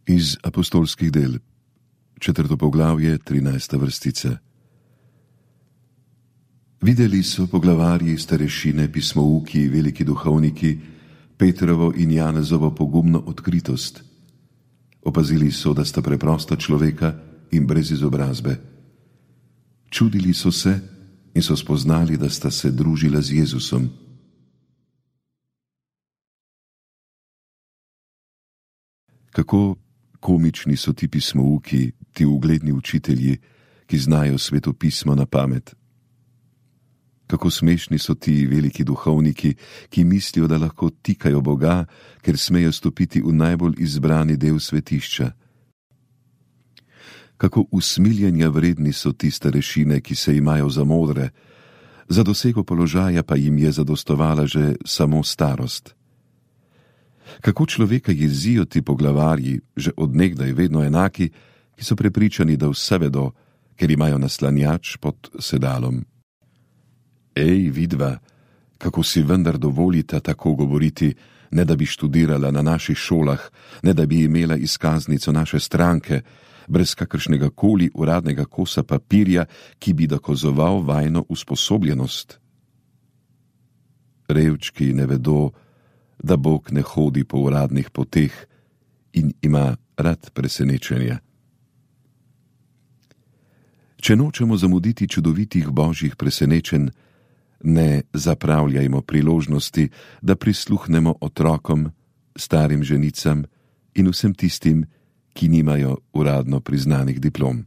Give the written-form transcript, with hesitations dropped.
Iz apostolskih del, 4. poglavje, 13. vrstica. Videli so poglavarji, starešine, pismouki, veliki duhovniki, Petrovo in Janezovo pogumno odkritost. Opazili so, da sta preprosta človeka in brez izobrazbe. Čudili so se in so spoznali, da sta se družila z Jezusom. Kako komični so ti pismouki, ti ugledni učitelji, ki znajo svetopismo na pamet. Kako smešni so ti veliki duhovniki, ki mislijo, da lahko tikajo Boga, ker smejo stopiti v najbolj izbrani del svetišča. Kako usmiljenja vredni so ti starešine, ki se imajo za modre, za dosego položaja pa jim je zadostovala že samo starost. Kako človeka jezijo ti poglavarji, že od nekdaj vedno enaki, ki so prepričani, da vse vedo, ker imajo naslanjač pod sedalom. Ej, vidva, kako si vendar dovolita tako govoriti, ne da bi študirala na naših šolah, ne da bi imela izkaznico naše stranke, brez kakršnega koli uradnega kosa papirja, ki bi dokazoval vajno usposobljenost. Revčki ne vedo, da Bog ne hodi po uradnih poteh in ima rad presenečenja. Če nočemo zamuditi čudovitih božjih presenečenj, ne zapravljajmo priložnosti, da prisluhnemo otrokom, starim ženicam in vsem tistim, ki nimajo uradno priznanih diplom.